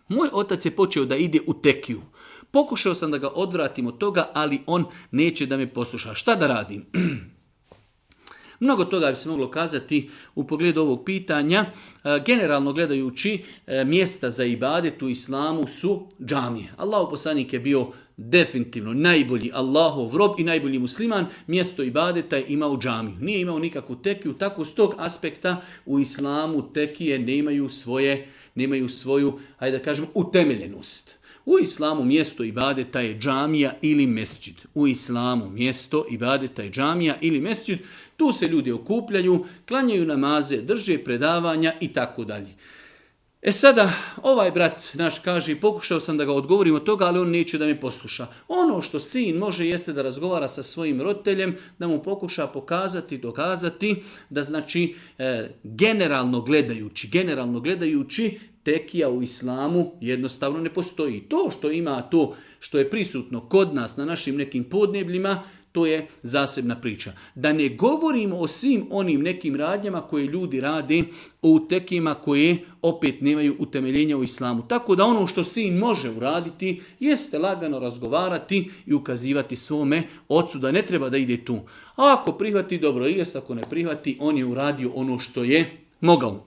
Moj otac je počeo da ide u tekiju. Pokušao sam da ga odvratim od toga, ali on neće da me posluša. Šta da radim? Mnogo toga bi se moglo kazati u pogledu ovog pitanja. Generalno gledajući, mjesta za ibadet u islamu su džamije. Allahov poslanik je bio definitivno najbolji Allahov rob i najbolji musliman. Mjesto ibadeta je imao džamiju. Nije imao nikakvu tekiju. Tako s tog aspekta u islamu tekije nemaju svoju, hajde da kažemo, utemeljenost. U islamu mjesto ibadeta je džamija ili mesdžid. U islamu mjesto ibadeta je džamija ili mesdžid. Tu se ljudi okupljaju, klanjaju namaze, drže predavanja i tako dalje. Sada, ovaj brat naš kaže, pokušao sam da ga odgovorim od toga, ali on neće da me posluša. Ono što sin može jeste da razgovara sa svojim roditeljem, da mu pokuša pokazati, dokazati, da znači generalno gledajući, tekija u islamu jednostavno ne postoji. To što ima to što je prisutno kod nas na našim nekim podnebljima, to je zasebna priča. Da ne govorimo o svim onim nekim radnjama koje ljudi rade u tekijima koje opet nemaju utemeljenja u islamu. Tako da ono što sin može uraditi jeste lagano razgovarati i ukazivati svome ocu da ne treba da ide tu. A ako prihvati, dobro jest, ako ne prihvati, on je uradio ono što je mogao.